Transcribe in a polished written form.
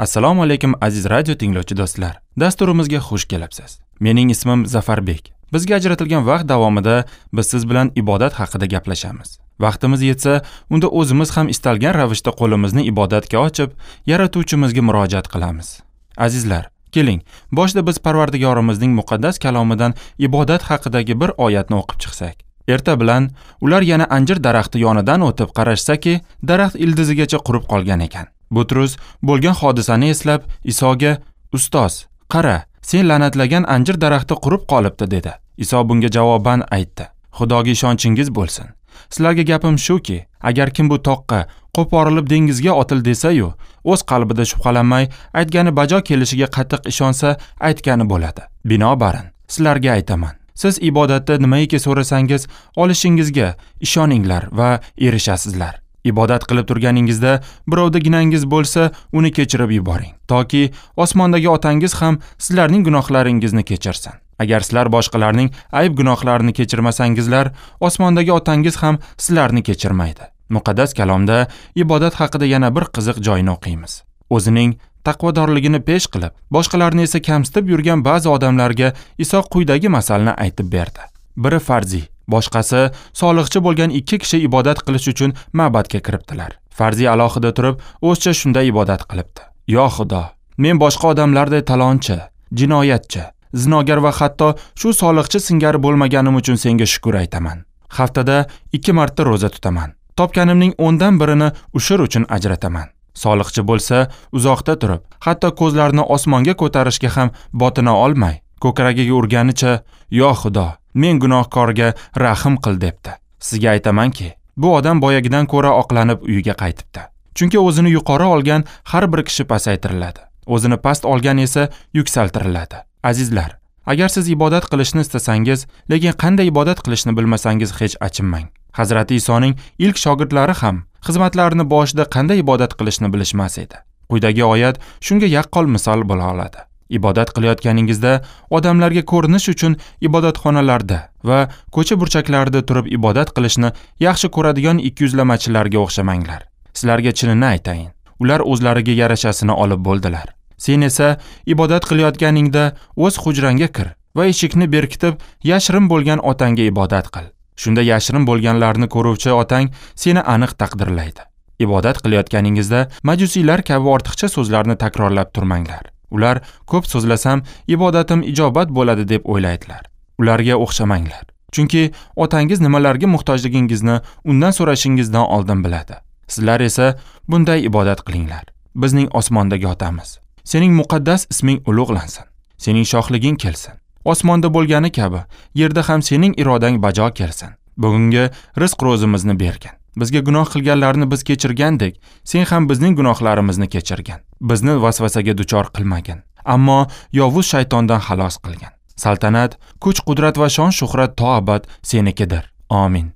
Assalomu alaykum aziz radio tinglovchi do'stlar. Dasturimizga xush kelibsiz. Mening ismim Zafarbek. Bizga ajratilgan vaqt davomida biz siz bilan ibodat haqida gaplashamiz. Vaqtimiz yetsa, unda o'zimiz ham istalgan ravishda qo'limizni ibodatga ochib, Yaratuvchimizga murojaat qilamiz. Azizlar, keling, boshida biz Parvardigorimizning muqaddas kalomidan ibodat haqidagi bir oyatni o'qib chiqsak. Erta bilan ular yana anjir daraxti yonidan o'tib qarashsaki, daraxt ildizigacha qurib qolgan ekan. Butrus bo'lgan hodisani eslab Isoga: "Ustoz, qara, sen la'natlagan anjir daraxti qurib qolibdi" dedi. Iso bunga javoban aytdi: "Xudoga ishonchingiz bo'lsin. Sizlarga gapim shuki, agar kim bu toqqa qo'porilib dengizga otil desa-yu, o'z qalbida shubhalanmay, aytgani bajo kelishiga qattiq ishonsa, aytgani bo'ladi. Binobarin, sizlarga aytaman, siz ibodatda nimaiki so'rasangiz, olishingizga ishoninglar va erishasizlar. Ibodat qilib turganingizda birovda ginangiz bo'lsa, uni kechirib yuboring, toki osmondagi otangiz ham sizlarning gunohlaringizni kechirsin. Agar sizlar boshqalarning ayb gunohlarini kechirmasangizlar, osmondagi otangiz ham sizlarni kechirmaydi." Muqaddas kalomda ibodat haqida yana bir qiziq joyni o'qiymiz. O'zining taqvodorligini pesh qilib, boshqalarni esa kamsitib yurgan ba'zi odamlarga Iso quyidagi masalni aytib berdi. Biri farziy, boshqasi soliqchi bo'lgan ikki kishi ibodat qilish uchun ma'badga kiribdilar. Farziy alohida turib, o'zcha shunday ibodat qilibdi: "Yo Xudo, men boshqa odamlarday talonchi, jinoyatchi, zinogar va hatto shu soliqchi singari bo'lmaganim uchun senga shukr aytaman. Haftada 2 marta ro'za tutaman. Topganimning 10dan birini ushur uchun ajrataman." Soliqchi bo'lsa, uzoqda turib, hatto ko'zlarini osmonga ko'tarishga ham botina olmay, ko'kragiga urganicha: "Yo Xudo, men gunohkorga rahm qil" debdi. Sizga aytamanki, bu odam boyagidan ko'ra oqlanib uyiga qaytibdi. Chunki o'zini yuqori olgan har bir kishi pasaytiriladi, o'zini past olgan esa yuksaltiriladi. Azizlar, agar siz ibodat qilishni istasangiz, lekin qanday ibodat qilishni bilmasangiz hech achinmang. Hazrati Isoning ilk shogirdlari ham xizmatlarini boshida qanday ibodat qilishni bilishmas edi. Quyidagi oyat shunga yaqqol misol bo'la oladi. Ibodat qilayotganingizda odamlarga ko'rinish uchun ibodatxonalarda va ko'cha burchaklarida turib ibodat qilishni yaxshi ko'radigan ikkiyuzlamachilarga o'xshamanglar. Sizlarga chinini aytayin, ular o'zlariga yarashasini olib bo'ldilar. Sen esa ibodat qilayotganingda o'z hujrangga kir va eshikni berkitib, yashirin bo'lgan otangga ibodat qil. Shunda yashirin bo'lganlarni ko'ruvchi otang seni aniq taqdirlaydi. Ibodat qilayotganingizda majusiylar kabi ortiqcha so'zlarni takrorlab turmanglar. Ular ko'p so'zlasam ibodatim ijobat bo'ladi deb o'ylaydilar. Ularga o'xshamanglar. Chunki otangiz nimalarga muhtojligingizni undan so'rashingizdan oldin biladi. Sizlar esa bunday ibodat qilinglar: Bizning osmondagi otamiz, sening muqaddas isming ulug'lansin. Sening shohliging kelsin. Osmonda bo'lgani kabi yerda ham sening irodang bajo kelsin. Bugungi rizq ro'zimizni bergin. Bizga gunoh qilganlarni biz kechirgandek, sen ham bizning gunohlarimizni kechirgin. Bizni vasvasaga duchor qilmagin, ammo yovuz shaytondan xalos qilgin. Saltanat, kuch, qudrat va shon shuhrat to abad senikidir. Amin.